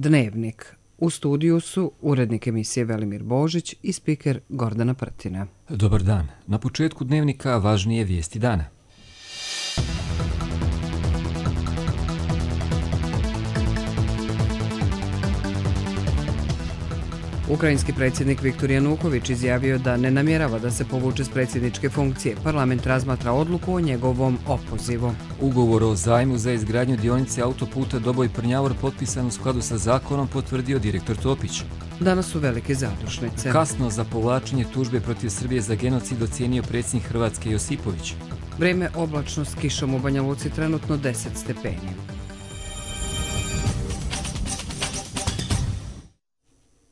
Dnevnik. U studiju su urednik emisije Velimir Božić i spiker Gordana Prtina. Dobar dan. Na početku Dnevnika važnije vijesti dana. Ukrajinski predsjednik Viktor Januković izjavio da ne namjerava da se povuče s predsjedničke funkcije. Parlament razmatra odluku o njegovom opozivu. Ugovor o zajmu za izgradnju dionice autoputa Doboj-Prnjavor potpisan u skladu sa zakonom, potvrdio direktor Topić. Danas su velike zadušnice. Kasno za povlačenje tužbe protiv Srbije za genocid ocijenio predsjednik Hrvatske Josipović. Vrijeme oblačno s kišom u Banja Luci, trenutno 10 stepeni.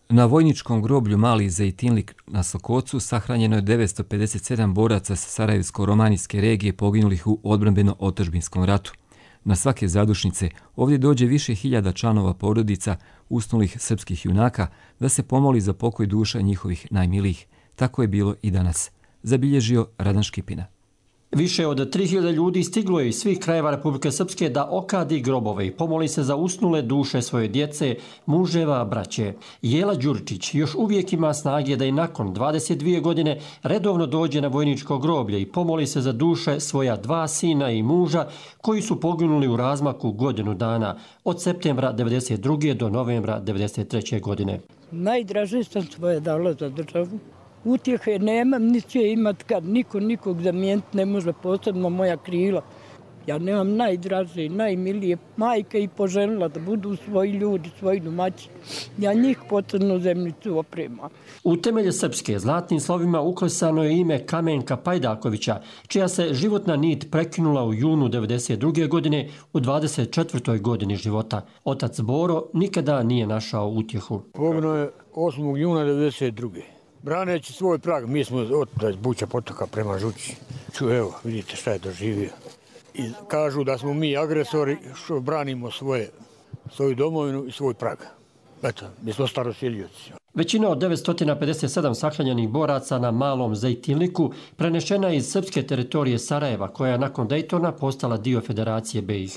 Na vojničkom groblju Mali Zejtinlik na Sokocu sahranjeno je 957 boraca sa Sarajevsko-romanijske regije poginulih u odbrambeno-otadžbinskom ratu. Na svake zadušnice ovdje dođe više hiljada članova porodica usnulih srpskih junaka da se pomoli za pokoj duša njihovih najmilijih. Tako je bilo i danas, zabilježio Radan Škipina. Više od 3000 ljudi stiglo je iz svih krajeva Republike Srpske da okadi grobove i pomoli se za usnule duše svoje djece, muževa, braće. Jela Đuričić još uvijek ima snage da i nakon 22 godine redovno dođe na vojničko groblje i pomoli se za duše svoja 2 sina i muža koji su poginuli u razmaku godinu dana od septembra 1992. do novembra 1993. godine. Najdraže sam svoje dala za državu. Utjehe nemam, niti će imat kad niko nikog zamijeniti ne može, posebno moja krila. Ja nemam najdraže, najmilije majke i poželjela da budu svoji ljudi, svoji domaći. Ja njih po crnozemnicu opremam. U temelje Srpske zlatnim slovima uklesano je ime Kamenka Pajdakovića, čija se životna nit prekinula u junu 1992. godine u 24. godini života. Otac Boro nikada nije našao utjehu. Poginuo je 8. juna 1992. Braneći svoj prag, mi smo od Buća potoka prema Žući. Evo, vidite šta je doživio. I kažu da smo mi agresori što branimo svoju domovinu i svoj prag. Eto, mi smo starosiljoci. Većina od 957 sahranjenih boraca na Malom Zejtinliku prenešena je iz srpske teritorije Sarajeva, koja je nakon Dejtona postala dio Federacije BiH.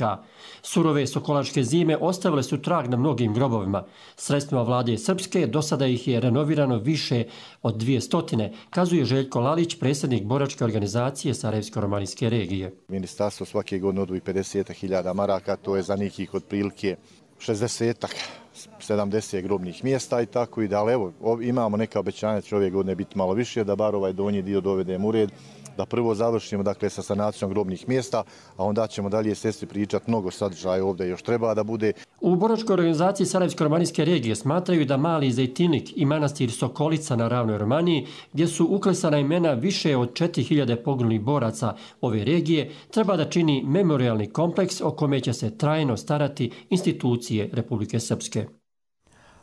Surove sokolačke zime ostavile su trag na mnogim grobovima. Sredstvima vlade Srpske do sada ih je renovirano više od 200, kazuje Željko Lalić, predsjednik boračke organizacije Sarajevsko-romanijske regije. Ministarstvo svake godine odvoji 50.000 maraka, to je za nekih otprilike 60-70 grobnih mjesta i tako i da, ali evo, imamo neka obećanja će ove godine biti malo više, da bar ovaj donji dio dovedemo u red, da prvo završimo dakle sa sanacijom grobnih mjesta, a onda ćemo dalje sestri pričati, mnogo sadržaja ovdje još treba da bude. U boračkoj organizaciji Sarajevsko-romanijske regije smatraju da Mali Zejtinlik i manastir Sokolica na ravnoj Romaniji, gdje su uklesana imena više od 4000 poginulih boraca ove regije, treba da čini memorijalni kompleks o kome će se trajno starati institucije Republike Srpske.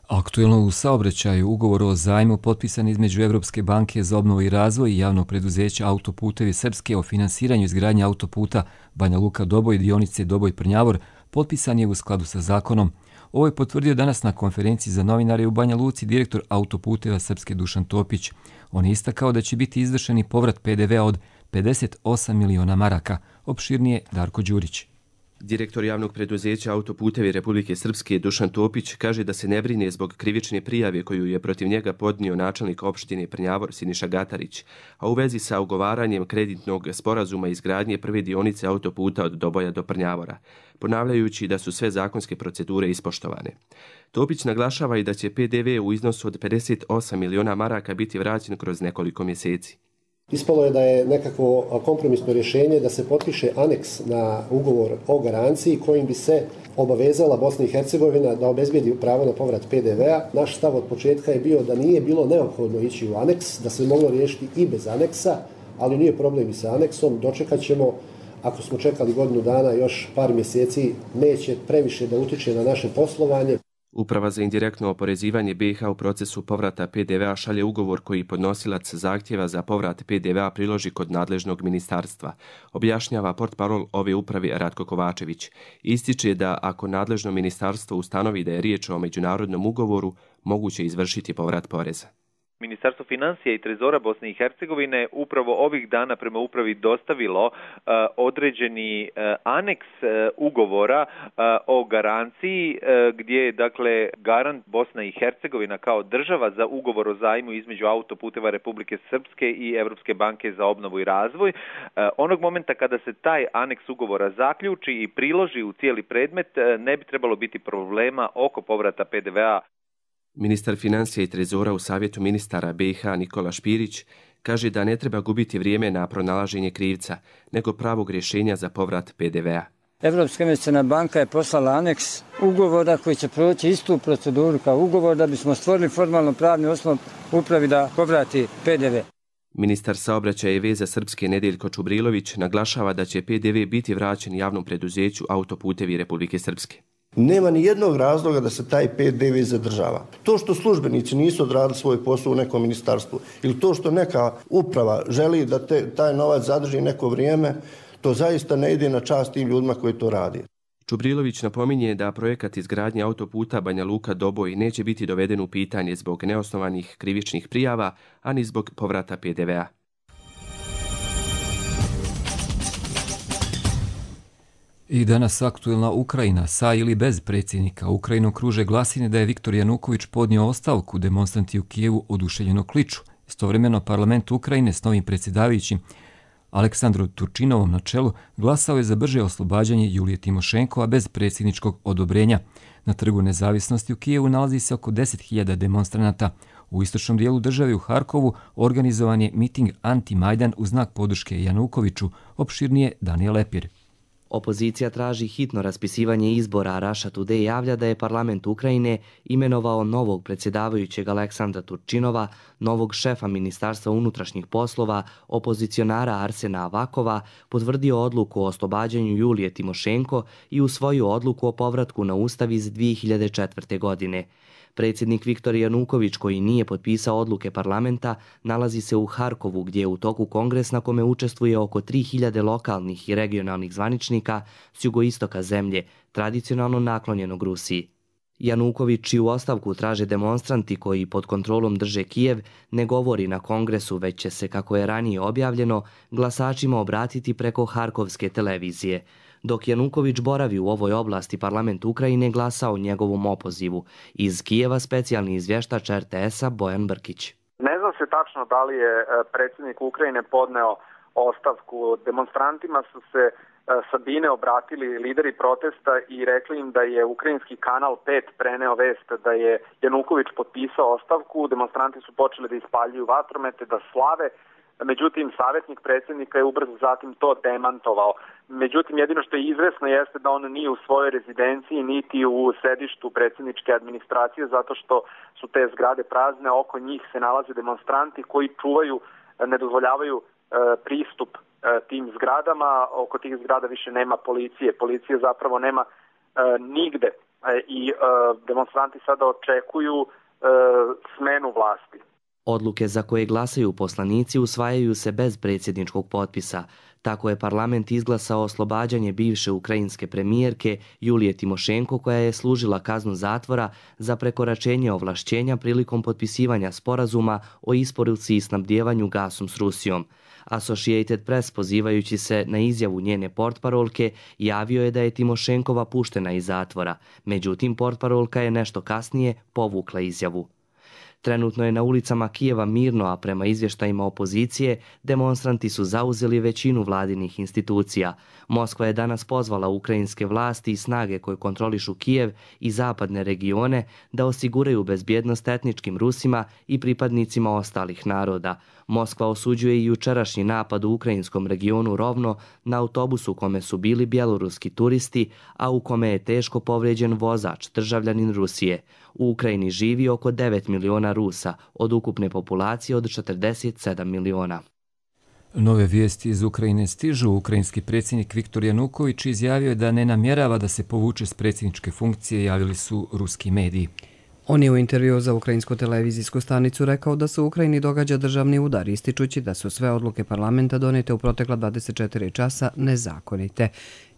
Aktuelno u saobraćaju ugovor o zajmu potpisan između Evropske banke za obnovu i razvoj i javnog preduzeća Autoputevi Srpske o finansiranju izgradnje autoputa Banja Luka-Doboj i dionice Doboj-Prnjavor potpisan je u skladu sa zakonom. Ovo je potvrdio danas na konferenciji za novinare u Banja Luci direktor Autoputeva Srpske Dušan Topić. On je istakao da će biti izvršeni povrat PDV-a od 58 miliona maraka. Opširnije Darko Đurić. Direktor javnog preduzeća Autoputevi Republike Srpske Dušan Topić kaže da se ne brine zbog krivične prijave koju je protiv njega podnio načelnik opštine Prnjavor Siniša Gatarić, a u vezi sa ugovaranjem kreditnog sporazuma izgradnje prve dionice autoputa od Doboja do Prnjavora, ponavljajući da su sve zakonske procedure ispoštovane. Topić naglašava i da će PDV u iznosu od 58 miliona maraka biti vraćen kroz nekoliko mjeseci. Ispalo je da je nekakvo kompromisno rješenje da se potpiše aneks na ugovor o garanciji kojim bi se obavezala Bosna i Hercegovina da obezbijedi pravo na povrat PDV-a. Naš stav od početka je bio da nije bilo neophodno ići u aneks, da se moglo riješiti i bez aneksa, ali nije problem i sa aneksom. Dočekat ćemo, ako smo čekali godinu dana, još par mjeseci, neće previše da utiče na naše poslovanje. Uprava za indirektno oporezivanje BiH u procesu povrata PDV-a šalje ugovor koji podnosilac zahtjeva za povrat PDV-a priloži kod nadležnog ministarstva, objašnjava portparol ove uprave Ratko Kovačević. Ističe da ako nadležno ministarstvo ustanovi da je riječ o međunarodnom ugovoru, moguće izvršiti povrat poreza. Ministarstvo financija i trezora Bosne i Hercegovine upravo ovih dana prema upravi dostavilo određeni aneks ugovora o garanciji gdje je dakle garant Bosna i Hercegovina kao država za ugovor o zajmu između Autoputeva Republike Srpske i Evropske banke za obnovu i razvoj. Onog momenta kada se taj aneks ugovora zaključi i priloži u cijeli predmet, ne bi trebalo biti problema oko povrata PDV-a. Ministar financija i trezora u Savjetu ministara BiH Nikola Špirić kaže da ne treba gubiti vrijeme na pronalaženje krivca, nego pravog rješenja za povrat PDV-a. Evropska investiciona banka je poslala aneks ugovora koji će proći istu proceduru kao ugovor da bismo stvorili formalno pravni osnov upravi da povrati PDV. Ministar saobraćaja i veza Srpske Nedeljko Čubrilović naglašava da će PDV biti vraćen javnom preduzeću Autoputevi Republike Srpske. Nema ni jednog razloga da se taj PDV zadržava. To što službenici nisu odradili svoj posao u nekom ministarstvu ili to što neka uprava želi da taj novac zadrži neko vrijeme, to zaista ne ide na čast tim ljudima koji to radi. Čubrilović napominje da projekat izgradnje autoputa Banja Luka-Doboj neće biti doveden u pitanje zbog neosnovanih krivičnih prijava, ani zbog povrata PDV-a. I danas aktuelna Ukrajina, sa ili bez predsjednika. Ukrajinom kruže glasine da je Viktor Januković podnio ostavku, demonstranti u Kijevu oduševljeno kliču. Istovremeno parlament Ukrajine s novim predsjedavajućim Aleksandrom Turčinovom na čelu glasao je za brže oslobađanje Julije Timošenkova bez predsjedničkog odobrenja. Na Trgu nezavisnosti u Kijevu nalazi se oko 10.000 demonstranata. U istočnom dijelu države u Harkovu organizovan je miting Anti-Majdan u znak podrške Janukoviću, opširnije Daniel Lepir. Opozicija traži hitno raspisivanje izbora, a Russia Today javlja da je parlament Ukrajine imenovao novog predsjedavajućeg Aleksandra Turčinova, novog šefa Ministarstva unutrašnjih poslova, opozicionara Arsena Avakova, potvrdio odluku o oslobađanju Julije Timošenko i usvojio odluku o povratku na ustav iz 2004. godine. Predsjednik Viktor Januković, koji nije potpisao odluke parlamenta, nalazi se u Harkovu, gdje je u toku kongres na kome učestvuje oko 3000 lokalnih i regionalnih zvaničnika s jugoistoka zemlje, tradicionalno naklonjenog Rusiji. Januković, čiju ostavku traže demonstranti koji pod kontrolom drže Kijev, ne govori na kongresu, već će se, kako je ranije objavljeno, glasačima obratiti preko harkovske televizije. Dok Januković boravi u ovoj oblasti, parlament Ukrajine glasa o njegovom opozivu. Iz Kijeva specijalni izvještač RTS-a Bojan Brkić. Ne zna se tačno da li je predsjednik Ukrajine podneo ostavku. Demonstrantima su se sa bine obratili lideri protesta i rekli im da je ukrajinski kanal 5 preneo vest da je Januković potpisao ostavku. Demonstranti su počeli da ispaljuju vatromete, da slave. Međutim, savjetnik predsjednika je ubrzo zatim to demantovao. Međutim, jedino što je izvesno jeste da on nije u svojoj rezidenciji niti u sedištu predsjedničke administracije, zato što su te zgrade prazne, oko njih se nalaze demonstranti koji čuvaju, ne dozvoljavaju pristup tim zgradama. Oko tih zgrada više nema policije. Policije zapravo nema nigde i demonstranti sada očekuju smenu vlasti. Odluke za koje glasaju poslanici usvajaju se bez predsjedničkog potpisa. Tako je parlament izglasao oslobađanje bivše ukrajinske premijerke Julije Timošenko, koja je služila kaznu zatvora za prekoračenje ovlašćenja prilikom potpisivanja sporazuma o isporuci i snabdijevanju gasom s Rusijom. Associated Press, pozivajući se na izjavu njene portparolke, javio je da je Timošenkova puštena iz zatvora. Međutim, portparolka je nešto kasnije povukla izjavu. Trenutno je na ulicama Kijeva mirno, a prema izvještajima opozicije, demonstranti su zauzeli većinu vladinih institucija. Moskva je danas pozvala ukrajinske vlasti i snage koje kontrolišu Kijev i zapadne regione da osiguraju bezbjednost etničkim Rusima i pripadnicima ostalih naroda. Moskva osuđuje i jučerašnji napad u ukrajinskom regionu Rovno na autobusu u kome su bili bjeloruski turisti, a u kome je teško povrijeđen vozač, državljanin Rusije. U Ukrajini živi oko 9 miliona Rusa, od ukupne populacije od 47 miliona. Nove vijesti iz Ukrajine stižu. Ukrajinski predsjednik Viktor Januković izjavio je da ne namjerava da se povuče s predsjedničke funkcije, javili su ruski mediji. On je u intervju za ukrajinsku televizijsku stanicu rekao da se u Ukrajini događa državni udar, ističući da su sve odluke parlamenta donete u protekla 24 časa nezakonite.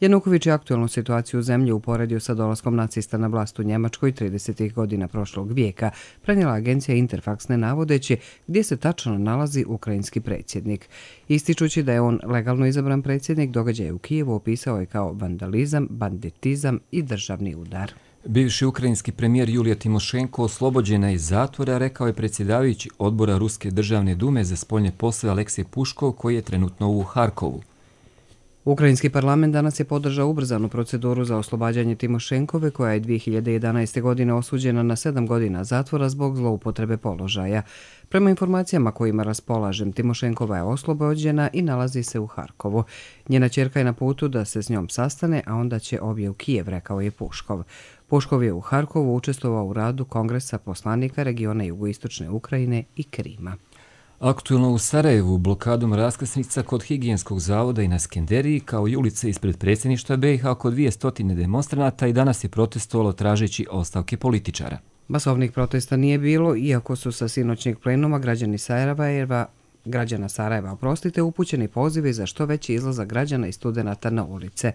Januković je aktualnu situaciju u zemlji uporedio sa dolaskom nacista na vlast u Njemačkoj 30. godina prošlog vijeka, prenijela agencija Interfax ne navodeći gdje se tačno nalazi ukrajinski predsjednik. Ističući da je on legalno izabran predsjednik, događaj u Kijevu opisao je kao vandalizam, banditizam i državni udar. Bivši ukrajinski premijer Julija Timošenko oslobođena iz zatvora, rekao je predsjedavajući odbora Ruske državne dume za spoljne poslove Aleksej Puškov, koji je trenutno u Harkovu. Ukrajinski parlament danas je podržao ubrzanu proceduru za oslobađanje Timošenkove, koja je 2011. godine osuđena na 7 godina zatvora zbog zloupotrebe položaja. Prema informacijama kojima raspolažem, Timošenkova je oslobođena i nalazi se u Harkovu. Njena ćerka je na putu da se s njom sastane, a onda će obje u Kijev, rekao je Puškov. Puškov je u Harkovu učestvovao u radu Kongresa poslanika regiona jugoistočne Ukrajine i Krima. Aktualno u Sarajevu blokadom raskrsnica kod Higijenskog zavoda i na Skenderiji, kao i ulice ispred predsjedništva BiH oko 200 demonstranata i danas je protestovalo tražeći ostavke političara. Masovnih protesta nije bilo, iako su sa sinoćnjeg plenuma građana Sarajeva upućeni pozivi za što veći izlazak građana i studenata na ulice.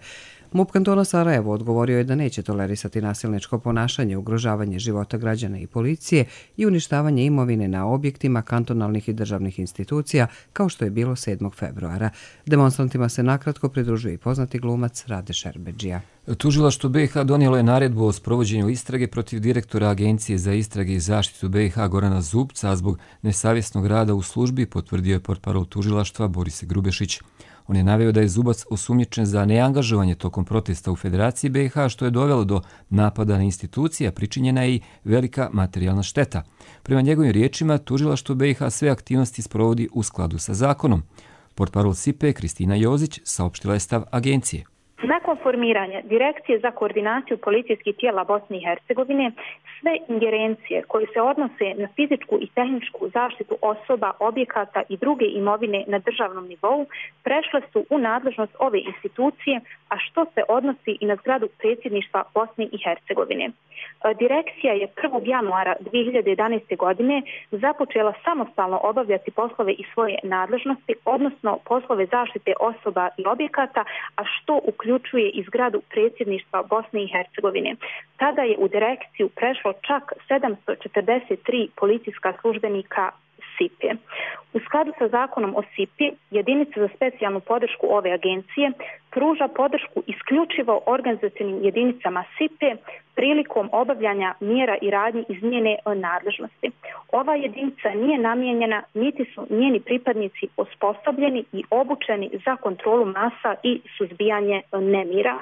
MUP kantona Sarajevo odgovorio je da neće tolerisati nasilničko ponašanje, ugrožavanje života građana i policije i uništavanje imovine na objektima kantonalnih i državnih institucija, kao što je bilo 7. februara. Demonstrantima se nakratko pridružuje i poznati glumac Rade Šerbedžija. Tužilaštvo BiH donijelo je naredbu o sprovođenju istrage protiv direktora Agencije za istrage i zaštitu BiH Gorana Zubca, a zbog nesavjesnog rada u službi, potvrdio je portparol tužilaštva Boris Grubešić. On je naveo da je Zubac osumnjičen za neangažovanje tokom protesta u Federaciji BiH, što je dovelo do napada na institucija, pričinjena je i velika materijalna šteta. Prema njegovim riječima, tužilaštvo BiH sve aktivnosti sprovodi u skladu sa zakonom. Portparol SIPE Kristina Jozić saopštila je stav agencije. Nakon formiranja Direkcije za koordinaciju policijskih tijela Bosne i Hercegovine, sve ingerencije koje se odnose na fizičku i tehničku zaštitu osoba, objekata i druge imovine na državnom nivou prešle su u nadležnost ove institucije, a što se odnosi i na zgradu predsjedništva Bosne i Hercegovine. Direkcija je 1. januara 2011. godine započela samostalno obavljati poslove iz svoje nadležnosti, odnosno poslove zaštite osoba i objekata, a što uključuje i zgradu predsjedništva Bosne i Hercegovine. Tada je u direkciju prešlo čak 743 policijska službenika SIPE. U skladu sa zakonom o SIPI, jedinica za specijalnu podršku ove agencije pruža podršku isključivo organizacionim jedinicama SIPE prilikom obavljanja mjera i radnji iz njene nadležnosti. Ova jedinica nije namijenjena, niti su njeni pripadnici osposobljeni i obučeni za kontrolu masa i suzbijanje nemira.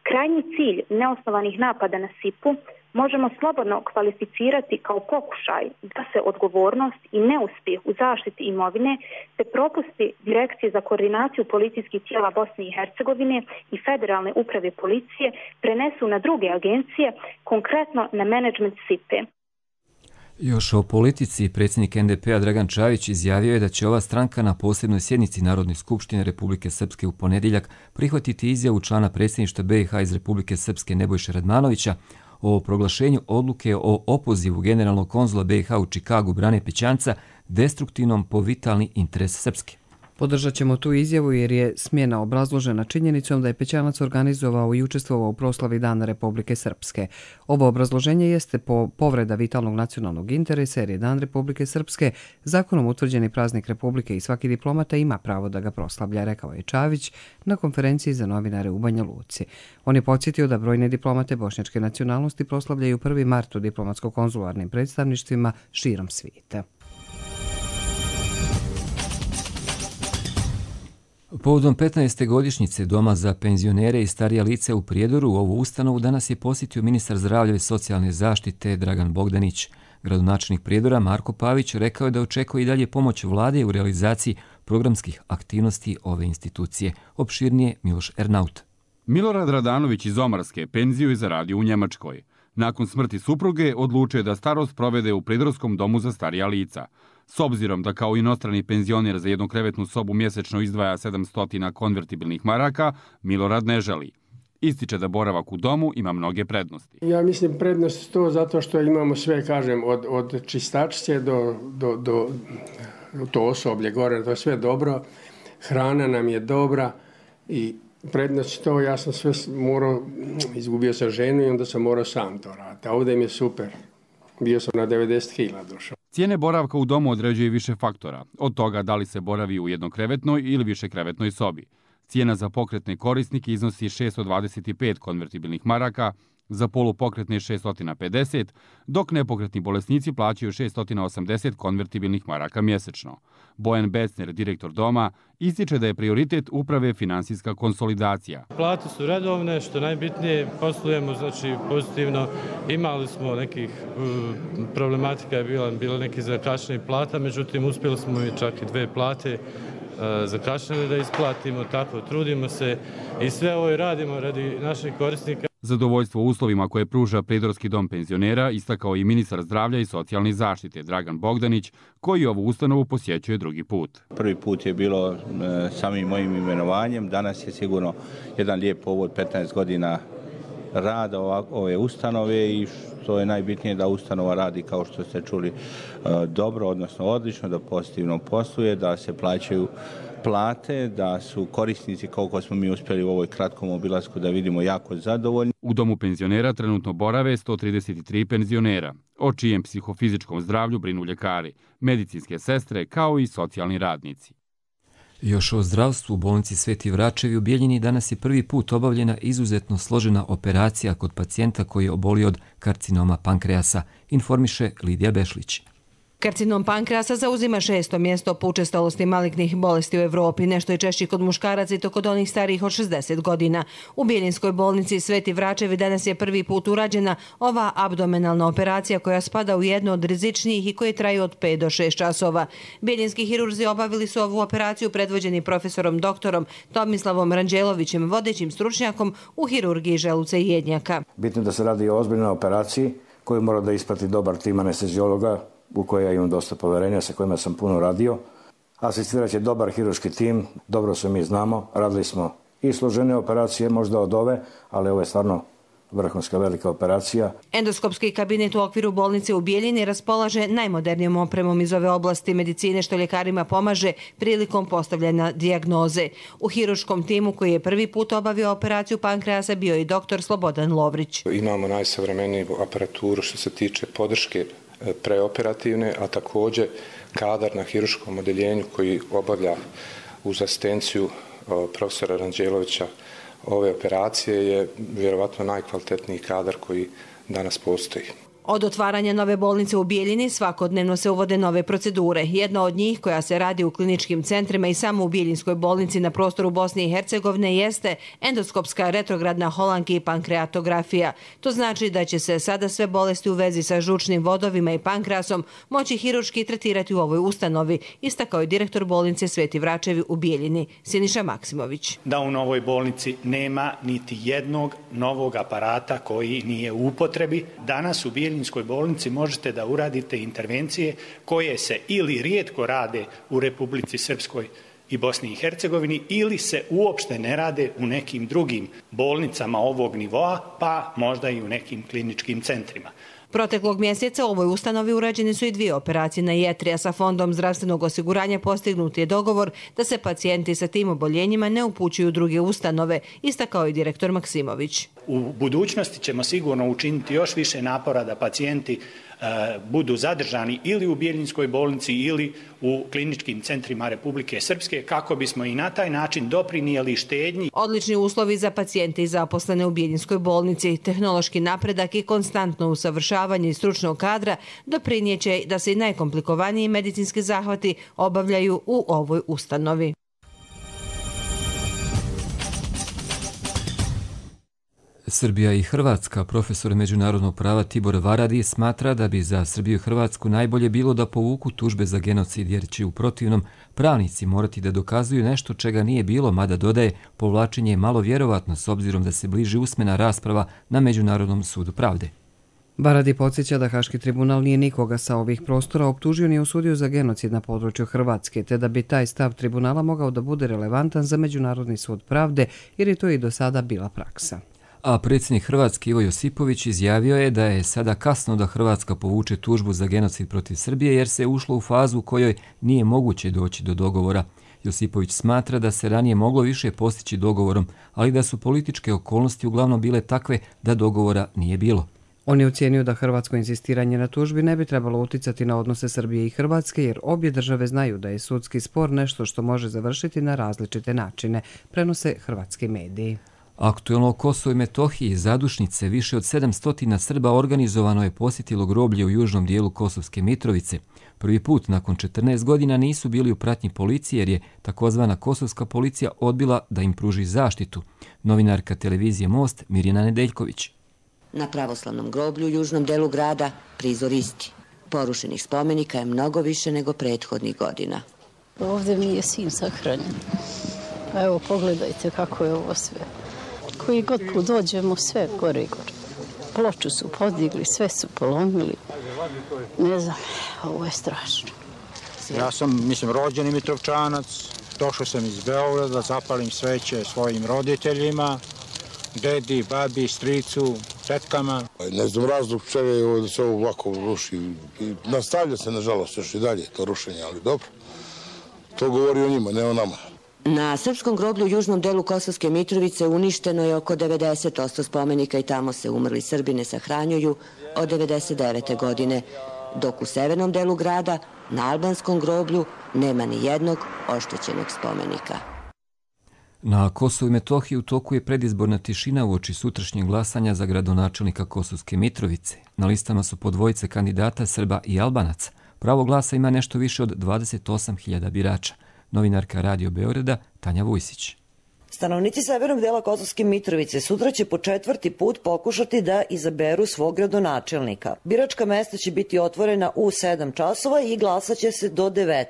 Krajnji cilj neosnovanih napada na SIPu možemo slobodno kvalificirati kao pokušaj da se odgovornost i neuspjeh u zaštiti imovine te propusti Direkcije za koordinaciju policijskih tijela Bosne i Hercegovine i Federalne uprave policije prenesu na druge agencije, konkretno na menadžment SIPE. Još o politici, predsjednik NDP-a Dragan Čavić izjavio je da će ova stranka na posebnoj sjednici Narodne skupštine Republike Srpske u ponedjeljak prihvatiti izjavu člana predsjedništva BiH iz Republike Srpske Nebojše Radmanovića o proglašenju odluke o opozivu generalnog konzula BiH u Čikagu Brane Pećanca destruktivnom po vitalni interes Srpske. Podržat ćemo tu izjavu jer je smjena obrazložena činjenicom da je Pećanac organizovao i učestvovao u proslavi Dana Republike Srpske. Ovo obrazloženje jeste povreda vitalnog nacionalnog interesa jer je Dan Republike Srpske zakonom utvrđeni praznik Republike i svaki diplomata ima pravo da ga proslavlja, rekao je Čavić na konferenciji za novinare u Banja Luci. On je podsjetio da brojne diplomate bošnjačke nacionalnosti proslavljaju 1. mart u diplomatsko-konzularnim predstavništvima širom svijeta. Povodom 15. godišnjice Doma za penzionere i starija lica u Prijedoru, ovu ustanovu danas je posjetio ministar zdravlja i socijalne zaštite Dragan Bogdanić. Gradonačelnik Prijedora Marko Pavić rekao je da očekuje i dalje pomoć vlade u realizaciji programskih aktivnosti ove institucije. Opširnije Miloš Ernaut. Milorad Radanović iz Omarske penziju je zaradio u Njemačkoj. Nakon smrti supruge odlučio je da starost provede u Prijedorskom domu za starija lica. S obzirom da kao inostrani penzioner za jednu krevetnu sobu mjesečno izdvaja 700 konvertibilnih maraka, Milorad ne želi. Ističe da boravak u domu ima mnoge prednosti. Ja mislim prednost to zato što imamo sve, kažem, od čistačice do to osoblje gore, to je sve dobro, hrana nam je dobra i prednost to, ja sam sve morao, izgubio sam ženu i onda sam morao sam to raditi, a ovdje mi je super, bio sam na 90 kila došao. Cijene boravka u domu određuje više faktora, od toga da li se boravi u jednokrevetnoj ili višekrevetnoj sobi. Cijena za pokretne korisnike iznosi 625 konvertibilnih maraka, za polupokretne 650, dok nepokretni bolesnici plaćaju 680 konvertibilnih maraka mjesečno. Bojan Becner, direktor doma, ističe da je prioritet uprave finansijska konsolidacija. Plate su redovne, što najbitnije, poslujemo znači pozitivno. Imali smo nekih problematika, je bilo nekih zakašnjenih plata, međutim uspjeli smo i čak i 2 plate zakašnjeli da isplatimo, tako trudimo se i sve ovo radimo radi naših korisnika. Zadovoljstvo uslovima koje pruža Prijedorski dom penzionera istakao i ministar zdravlja i socijalne zaštite Dragan Bogdanić, koji ovu ustanovu posjećuje drugi put. Prvi put je bilo samim mojim imenovanjem, danas je sigurno jedan lijep povod 15 godina rada ove ustanove i što je najbitnije da ustanova radi, kao što ste čuli, dobro, odnosno odlično, da pozitivno posluje, da se plaćaju plate, da su korisnici, koliko smo mi uspjeli u ovoj kratkom obilasku da vidimo, jako zadovoljni. U domu penzionera trenutno borave 133 penzionera, o čijem psihofizičkom zdravlju brinu ljekari, medicinske sestre kao i socijalni radnici. Još o zdravstvu u bolnici Sveti Vračevi u Bijeljini danas je prvi put obavljena izuzetno složena operacija kod pacijenta koji je obolio od karcinoma pankreasa, informiše Lidija Bešlić. Karcinom pankreasa zauzima 6. mjesto po učestalosti malignih bolesti u Evropi, nešto je češći kod muškaraca i to kod onih starijih od 60 godina. U Bijeljinskoj bolnici Sveti Vračevi danas je prvi put urađena ova abdomenalna operacija koja spada u jednu od rizičnijih i koje traju od 5 do 6 časova. Bijeljinski hirurzi obavili su ovu operaciju predvođeni profesorom doktorom Tomislavom Ranđelovićem, vodećim stručnjakom u hirurgiji želuca i jednjaka. Bitno da se radi o ozbiljnoj operaciji koju mora da isprati dobar tim anesteziologa, u koje ja imam dosta poverenja, sa kojima sam puno radio. Asistirat će dobar hirurški tim, dobro se mi znamo, radili smo i složene operacije možda od ove, ali ovo je stvarno vrhunska velika operacija. Endoskopski kabinet u okviru bolnice u Bijeljini raspolaže najmodernijom opremom iz ove oblasti medicine što ljekarima pomaže prilikom postavljanja dijagnoze. U hirurškom timu koji je prvi put obavio operaciju pankreasa bio i doktor Slobodan Lovrić. Imamo najsavremeniju aparaturu što se tiče podrške preoperativne, a također kadar na hirurškom odeljenju koji obavlja uz asistenciju profesora Ranđelovića ove operacije je vjerovatno najkvalitetniji kadar koji danas postoji. Od otvaranja nove bolnice u Bijeljini svakodnevno se uvode nove procedure. Jedna od njih, koja se radi u kliničkim centrima i samo u Bijeljinskoj bolnici na prostoru Bosne i Hercegovine, jeste endoskopska retrogradna holanki i pankreatografija. To znači da će se sada sve bolesti u vezi sa žučnim vodovima i pankreasom moći hirurški tretirati u ovoj ustanovi, istakao je direktor bolnice Sveti Vračevi u Bijeljini, Siniša Maksimović. Da u novoj bolnici nema niti jednog novog aparata koji nije u upotrebi. Danas u Bijeljinskoj bolnici možete da uradite intervencije koje se ili rijetko rade u Republici Srpskoj i Bosni i Hercegovini ili se uopšte ne rade u nekim drugim bolnicama ovog nivoa, pa možda i u nekim kliničkim centrima. Proteklog mjeseca u ovoj ustanovi urađene su i 2 operacije na jetri, a sa Fondom zdravstvenog osiguranja postignut je dogovor da se pacijenti sa tim oboljenjima ne upućuju u druge ustanove, istakao je direktor Maksimović. U budućnosti ćemo sigurno učiniti još više napora da pacijenti budu zadržani ili u Bijeljinskoj bolnici ili u kliničkim centrima Republike Srpske kako bismo i na taj način doprinijeli štednji. Odlični uslovi za pacijente i zaposlene u Bijeljinskoj bolnici, tehnološki napredak i konstantno usavršavanje stručnog kadra doprinijeće da se i najkomplikovaniji medicinski zahvati obavljaju u ovoj ustanovi. Srbija i Hrvatska, profesor međunarodnog prava Tibor Varadi, smatra da bi za Srbiju i Hrvatsku najbolje bilo da povuku tužbe za genocid, jer će u protivnom pravnici morati da dokazuju nešto čega nije bilo, mada dodaje povlačenje je malo vjerovatno s obzirom da se bliži usmena rasprava na Međunarodnom sudu pravde. Varadi podsjeća da Haški tribunal nije nikoga sa ovih prostora optužio ni osudio za genocid na području Hrvatske, te da bi taj stav tribunala mogao da bude relevantan za Međunarodni sud pravde, jer je to i do sada bila praksa. A predsjednik Hrvatske Ivo Josipović izjavio je da je sada kasno da Hrvatska povuče tužbu za genocid protiv Srbije jer se ušlo u fazu u kojoj nije moguće doći do dogovora. Josipović smatra da se ranije moglo više postići dogovorom, ali da su političke okolnosti uglavnom bile takve da dogovora nije bilo. On je ocijenio da hrvatsko insistiranje na tužbi ne bi trebalo uticati na odnose Srbije i Hrvatske, jer obje države znaju da je sudski spor nešto što može završiti na različite načine, prenose hrvatski mediji. Aktuelno o Kosovu i Metohiji zadušnice više od 700 Srba organizovano je posjetilo groblje u južnom dijelu Kosovske Mitrovice. Prvi put nakon 14 godina nisu bili u pratnji policije jer je takozvana kosovska policija odbila da im pruži zaštitu. Novinarka televizije Most Mirjana Nedeljković. Na pravoslavnom groblju u južnom delu grada prizor isti. Porušenih spomenika je mnogo više nego prethodnih godina. Ovdje mi je sin sahranjen. Evo, pogledajte kako je ovo sve. Koji god put dođemo, sve gore i gore. Ploču su podigli, sve su polomili. Ne znam, ovo je strašno. Ja sam, rođeni Mitrovčanac. Došao sam iz Beograda, zapalim sveće svojim roditeljima, dedi, babi, stricu, tetkama. Ne znam razlog čega je da se ovo ovako ruši. Nastavlja se, nažalost, još i dalje to rušenje, ali dobro. To govori o njima, ne o nama. Na srpskom groblju u južnom delu Kosovske Mitrovice uništeno je oko 90% spomenika i tamo se umrli Srbi ne sahranjuju od 1999. godine, dok u severnom delu grada, na albanskom groblju, nema ni jednog oštećenog spomenika. Na Kosovu i Metohiji u toku je predizborna tišina uoči sutrašnjeg glasanja za gradonačelnika Kosovske Mitrovice. Na listama su po dvojice kandidata Srba i Albanaca. Pravo glasa ima nešto više od 28.000 birača. Novinarka Radio Beograda Tanja Vujsić. Stanovnici severnog dela Kosovske Mitrovice sutra će po 4. put pokušati da izaberu svog gradonačelnika. Biračka mesta će biti otvorena u 7 časova i glasaće se do 19.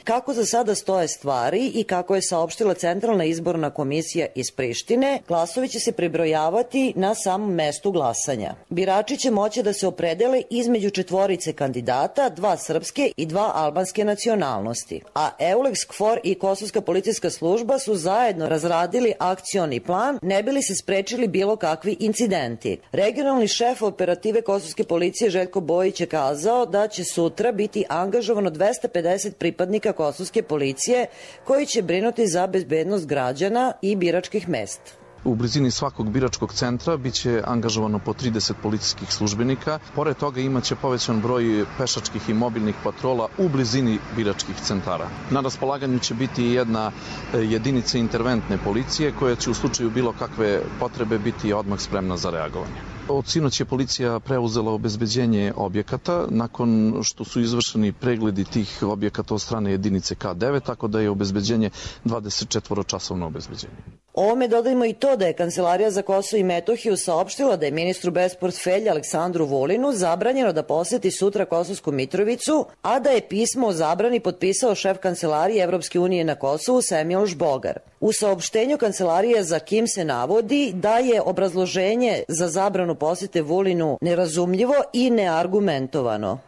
Kako za sada stoje stvari i kako je saopštila Centralna izborna komisija iz Prištine, glasovi će se prebrojavati na samom mestu glasanja. Birači će moći da se opredele između 4 kandidata, 2 srpske i 2 albanske nacionalnosti. A Eulex KFOR i Kosovska policijska služba su zajedno razradili akcioni plan, ne bi li se sprečili bilo kakvi incidenti. Regionalni šef operative Kosovske policije Željko Bojić je kazao da će sutra biti angažovano 250 pripadnika Kosovske policije koji će brinuti za bezbednost građana i biračkih mesta. U blizini svakog biračkog centra biće angažovano po 30 policijskih službenika. Pored toga imaće povećan broj pešačkih i mobilnih patrola u blizini biračkih centara. Na raspolaganju će biti jedna jedinica interventne policije koja će u slučaju bilo kakve potrebe biti odmah spremna za reagovanje. Od sinoć je policija preuzela obezbeđenje objekata nakon što su izvršeni pregledi tih objekata od strane jedinice K9, tako da je obezbeđenje 24-časovno obezbeđenje. Ovome dodajmo i to da je Kancelarija za Kosovo i Metohiju saopštila da je ministru bez portfelja Aleksandru Vulinu zabranjeno da poseti sutra Kosovsku Mitrovicu, a da je pismo o zabrani potpisao šef Kancelarije Evropske unije na Kosovu Semil Žbogar. U saopštenju Kancelarije za KIM se navodi da je obrazloženje za zabranu posete Vulinu nerazumljivo i neargumentovano.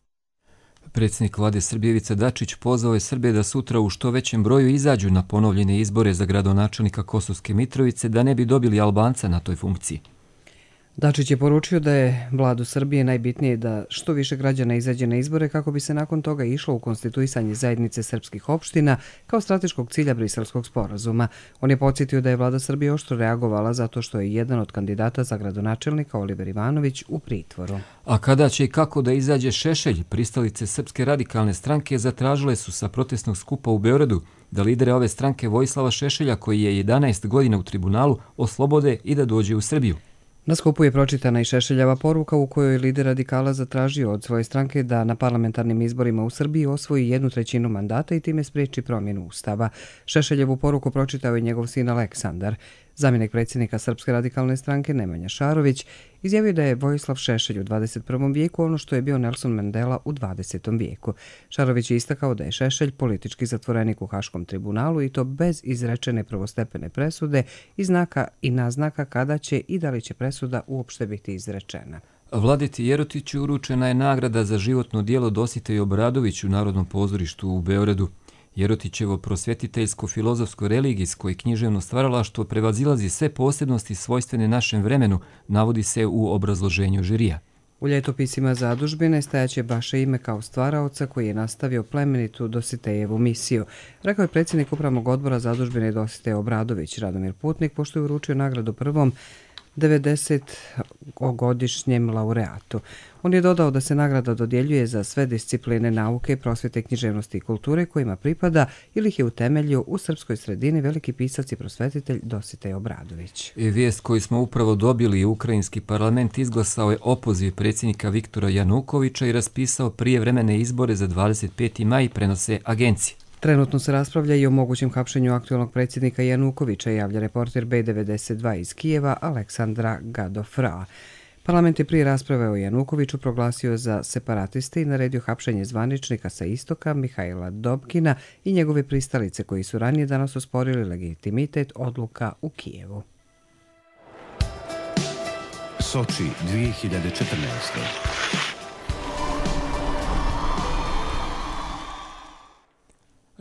Predsjednik vlade Srbije Ivica Dačić pozvao je Srbe da sutra u što većem broju izađu na ponovljene izbore za gradonačelnika Kosovske Mitrovice da ne bi dobili Albanca na toj funkciji. Dačić je poručio da je vladu Srbije najbitnije da što više građana izađe na izbore kako bi se nakon toga išlo u konstituisanje zajednice srpskih opština kao strateškog cilja Briselskog sporazuma. On je podsjetio da je vlada Srbije oštro reagovala zato što je jedan od kandidata za gradonačelnika Oliver Ivanović u pritvoru. A kada će i kako da izađe Šešelj, pristalice Srpske radikalne stranke zatražile su sa protestnog skupa u Beogradu da lidere ove stranke Vojislava Šešelja, koji je 11 godina u tribunalu, oslobode i da dođe u Srbiju. Na skupu je pročitana i Šešeljeva poruka u kojoj je lider radikala zatražio od svoje stranke da na parlamentarnim izborima u Srbiji osvoji 1/3 mandata i time spriječi promjenu ustava. Šešeljevu poruku pročitao je njegov sin Aleksandar. Zamjenik predsjednika Srpske radikalne stranke Nemanja Šarović izjavio da je Vojislav Šešelj u 21. vijeku ono što je bio Nelson Mandela u 20. vijeku. Šarović je istakao da je Šešelj politički zatvorenik u Haškom tribunalu i to bez izrečene prvostepene presude i znaka i naznaka kada će i da li će presuda uopšte biti izrečena. Vladeti Jerotiću uručena je nagrada za životno djelo Dositeju Obradoviću u Narodnom pozorištu u Beogradu. Jerotićevo prosvjetiteljsko-filozofsko-religijsko i književno stvaralaštvo prevazilazi sve posebnosti svojstvene našem vremenu, navodi se u obrazloženju žirija. U ljetopisima zadužbine stajaće baše ime kao stvaraoca koji je nastavio plemenitu Dositejevu misiju, rekao je predsjednik upravnog odbora zadužbine Dositej Obradović. Radomir Putnik, pošto je uručio nagradu prvom 90-godišnjem laureatu. On je dodao da se nagrada dodjeljuje za sve discipline nauke, prosvjete, književnosti i kulture kojima pripada ili ih je utemeljio u srpskoj sredini veliki pisac i prosvetitelj Dositej Obradović. Vijest koju smo upravo dobili, ukrajinski parlament izglasao je opoziv predsjednika Viktora Janukovića i raspisao prijevremene izbore za 25. maj, prenose agencije. Trenutno se raspravlja i o mogućem hapšenju aktualnog predsjednika Janukovića, javlja reporter B92 iz Kijeva Aleksandra Gadofra. Parlament je prije rasprave o Janukoviću proglasio za separatiste i naredio hapšenje zvaničnika sa istoka Mihajla Dobkina i njegove pristalice koji su ranije danas osporili legitimitet odluka u Kijevu. Soči 2014.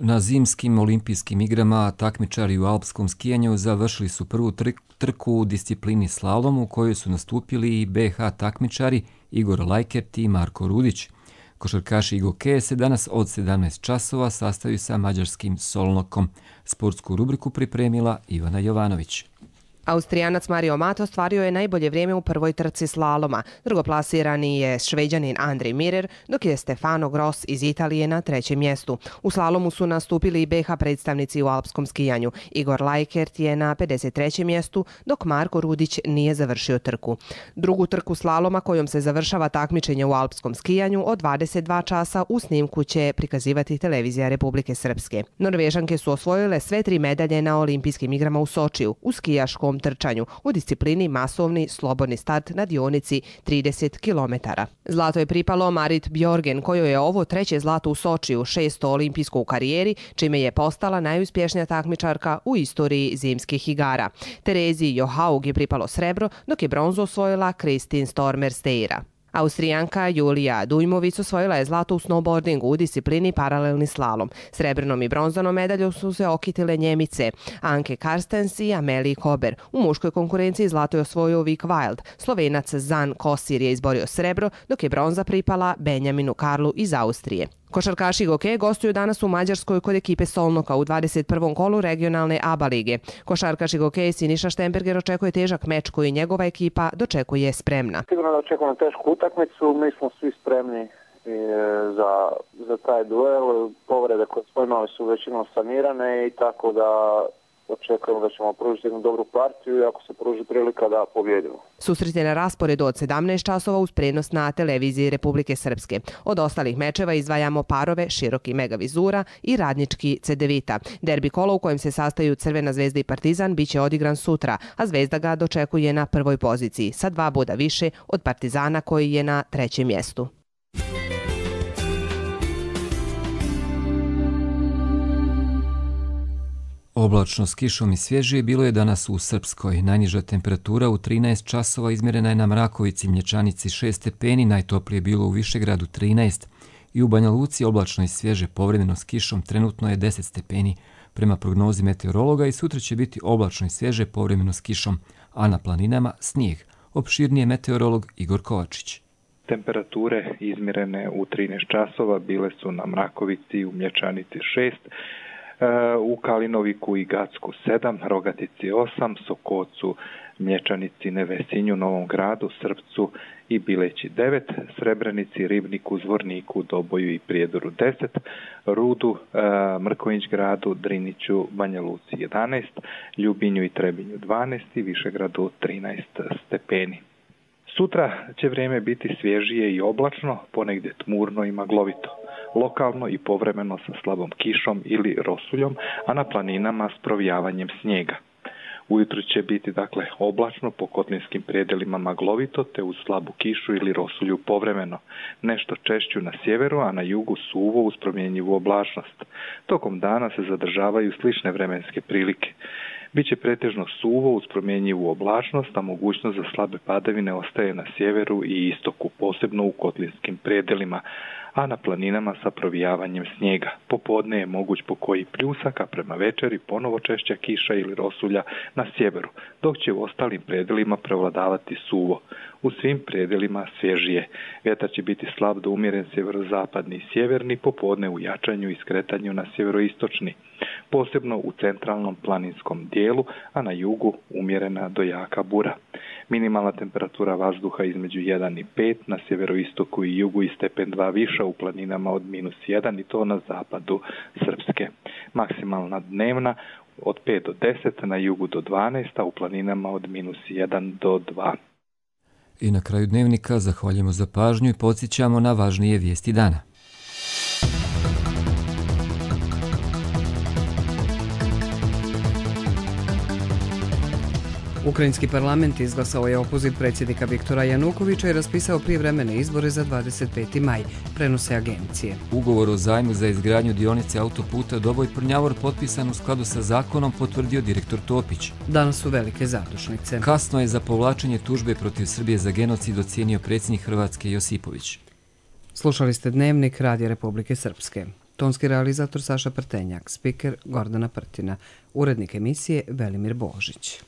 Na zimskim olimpijskim igrama takmičari u alpskom skijanju završili su prvu trku u disciplini slalom u kojoj su nastupili i BH takmičari Igor Lajkert i Marko Rudić. Košarkaši Igokeje se danas od 17 časova sastaju sa mađarskim Solnokom. Sportsku rubriku pripremila Ivana Jovanović. Austrijanac Mario Mato ostvario je najbolje vrijeme u prvoj trci slaloma. Drugoplasirani je Šveđanin Andrej Mirer, dok je Stefano Gross iz Italije na trećem mjestu. U slalomu su nastupili i BH predstavnici u alpskom skijanju. Igor Lajkert je na 53. mjestu, dok Marko Rudić nije završio trku. Drugu trku slaloma kojom se završava takmičenje u alpskom skijanju od 22 časa u snimku će prikazivati televizija Republike Srpske. Norvežanke su osvojile sve 3 medalje na olimpijskim igrama u Sočiju, u skijaškom trčanju u disciplini masovni slobodni start na dionici 30 km. Zlato je pripalo Marit Bjorgen, kojoj je ovo treće zlato u Sočiju, 6. olimpijsko u karijeri, čime je postala najuspješnija takmičarka u istoriji zimskih igara. Terezi Johaug je pripalo srebro, dok je bronzu osvojila Kristin Stormer-Steira. Austrijanka Julija Dujmović osvojila je zlato u snowboardingu u disciplini paralelni slalom. Srebrnom i bronzanom medaljom su se okitile Njemice Anke Karstens i Amelie Kober. U muškoj konkurenciji zlato je osvojio Vic Wild. Slovenac Zan Kosir je izborio srebro, dok je bronza pripala Benjaminu Karlu iz Austrije. Košarkaši Goke gostuju danas u Mađarskoj kod ekipe Solnoka u 21. kolu regionalne ABA lige. Košarkaši Goke Siniša Štemberger očekuje težak meč koji njegova ekipa dočekuje spremna. Sigurno da očekujemo tešku utakmicu, mi smo svi spremni za taj duel. Povrede koje smo imali su većinom sanirane i tako da očekujemo da ćemo pružiti jednu dobru partiju i ako se pruži prilika da pobjedimo. Susret je na rasporedu od 17 časova uz prenos na televiziji Republike Srpske. Od ostalih mečeva izdvajamo parove Široki Megavizura i Radnički Cedevita. Derbi kolo u kojem se sastaju Crvena zvezda i Partizan biće odigran sutra, a Zvezda ga dočekuje na prvoj poziciji sa 2 boda više od Partizana koji je na 3. mjestu. Oblačno s kišom i svježije bilo je danas u Srpskoj. Najniža temperatura u 13 časova izmjerena je na Mrakovici, Mlječanici 6 stepeni, najtoplije je bilo u Višegradu 13. I u Banja Luci oblačno i svježe, povremeno s kišom, trenutno je 10 stepeni. Prema prognozi meteorologa i sutra će biti oblačno i svježe, povremeno s kišom, a na planinama snijeg. Opširnije meteorolog Igor Kovačić. Temperature izmjerene u 13 časova bile su na Mrakovici, u Mlječanici 6, u Kalinoviku i Gacku 7, Rogatici 8, Sokocu, Mlječanici, Nevesinju, Novom Gradu, Srpcu i Bileći 9, Srebrenici, Ribniku, Zvorniku, Doboju i Prijedoru 10, Rudu, Mrković gradu, Driniću, Banja Luci 11, Ljubinju i Trebinju 12 i Višegradu 13 stepeni. Sutra će vrijeme biti svježije i oblačno, ponegdje tmurno i maglovito. Lokalno i povremeno sa slabom kišom ili rosuljom, a na planinama s provijavanjem snijega. Ujutro će biti oblačno, po kotlinskim predjelima maglovito, te uz slabu kišu ili rosulju povremeno. Nešto češću na sjeveru, a na jugu suvo uz promjenjivu oblačnost. Tokom dana se zadržavaju slične vremenske prilike. Biće pretežno suvo uz promjenjivu oblačnost, a mogućnost za slabe padavine ostaje na sjeveru i istoku, posebno u kotlinskim predjelima, a na planinama sa provijavanjem snijega. Popodne je moguć pokoji pljusak, a prema večeri ponovo češća kiša ili rosulja na sjeveru, dok će u ostalim predelima prevladavati suvo. U svim predelima svježije. Vjetar će biti slab do umjeren sjeverozapadni i sjeverni, popodne u jačanju i skretanju na sjeveroistočni, posebno u centralnom planinskom dijelu, a na jugu umjerena do jaka bura. Minimalna temperatura vazduha između 1 i 5, na sjeveroistoku i jugu i stepen 2 viša u planinama od -1 i to na zapadu Srpske. Maksimalna dnevna od 5 do 10, na jugu do 12, a u planinama od -1 do 2. I na kraju dnevnika zahvaljujemo za pažnju i podsjećamo na važnije vijesti dana. Ukrajinski parlament izglasao je opoziv predsjednika Viktora Janukovića i raspisao prijevremene izbore za 25. maj, prenose agencije. Ugovor o zajmu za izgradnju dionice autoputa Doboj-Prnjavor potpisan u skladu sa zakonom, potvrdio direktor Topić. Danas su velike zadušnice. Kasno je za povlačenje tužbe protiv Srbije za genocid ocijenio predsjednik Hrvatske Josipović. Slušali ste Dnevnik Radija Republike Srpske. Tonski realizator Saša Prtenjak, spiker Gordana Prtina, urednik emisije Velimir Božić.